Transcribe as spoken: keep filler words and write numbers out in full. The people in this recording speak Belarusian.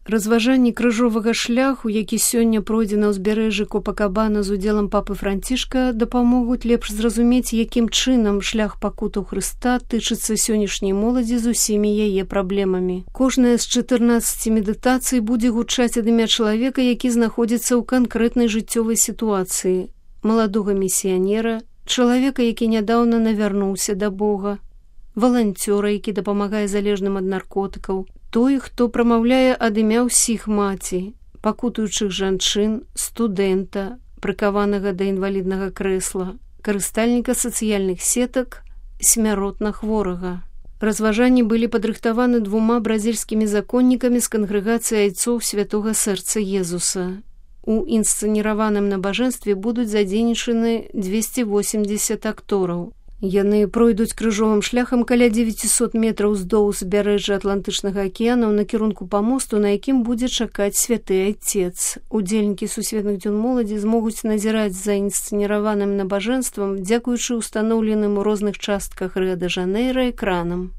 Разважанні крыжовага шляху, які сёння пройдзе на ўзбярэжжы Копакабана з удзелам папы Францішка, дапамогуць лепш зразумець, якім чынам шлях пакутаў Хрыста тычыцца сённяшняй моладзі з усімі яе праблемамі. Кожная з чатырнаццаці медытацый будзе гучаць ад імя чалавека, які знаходзіцца ў канкрэтнай жыццёвай сітуацыі, маладога місіянера, чалавека, які нядаўна навярнуўся да Бога, валанцёра, які дапамагае залежным ад наркотыкаў, той, хто прамаўляе ад імя ўсіх маці, пакутуючых жанчын, студэнта, прыкаванага да інваліднага крэсла, карыстальніка сацыяльных сетак, смяротна хворага. Разважанні былі падрыхтаваны двума бразільскімі законнікамі з кангрэгацыі айцоў святога сэрца Езуса. У інсцэніраваным набажэнстве будуць задзейнічаны дзвесце восемдзесят актораў. Яны пройдуць крыжовым шляхам каля дзевяцісот метраў уздоўж узбярэжжа Атлантычнага акіяна ў накірунку памосту, на якім будзе чакаць святы айцец. Удзельнікі сусветных дзён моладзі змогуць назіраць за інсцэніраваным набажэнствам, дзякуючы ўстаноўленым у розных частках Рыа-дэ-Жанейра экранам.